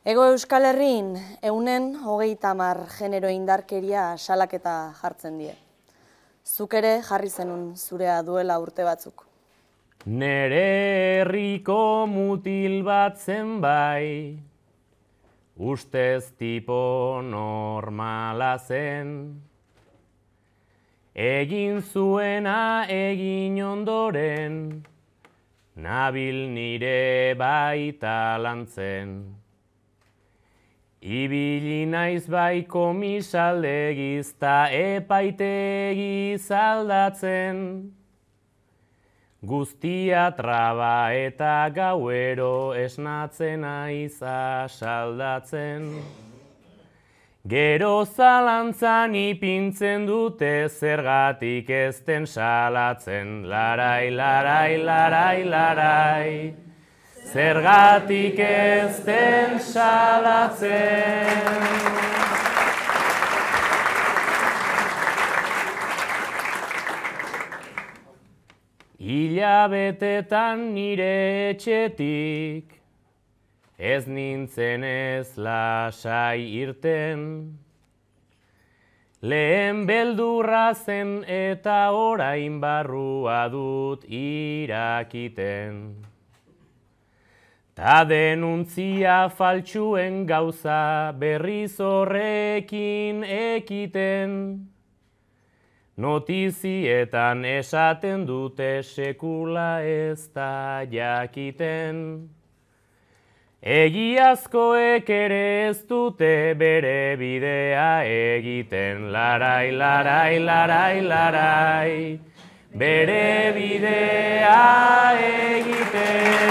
Hego Euskal Herrin, 130 genero indarkeria salaketa jartzen die. Zuk ere jarri zenun zurea duela urte batzuk. Nere herriko mutil bat zen bai, ustez tipo normala zen. Egin zuena egin ondoren, nabil nire baita lantzen. Ibili naiz bai komisaldegiz ta epaitegiz aldatzen. Guztia traba eta gauero esnatzen aiz asaldatzen. Gero zalantzan ipintzen dute zergatik ez den salatzen. Larai, larai, larai, larai. Zergatik ez den salatzen. Hilabetetan nire etxetik, ez nintzen ez lasai irten. Lehen beldurra zen eta orain barrua dut irakiten. Ta denuntzia faltsuen gauza berriz horrekin ekiten. Notizietan esaten dute sekula ez da jakiten. Egiazkoek ere ez dute bere bidea egiten. Larai, larai, larai, larai, bere bidea egiten.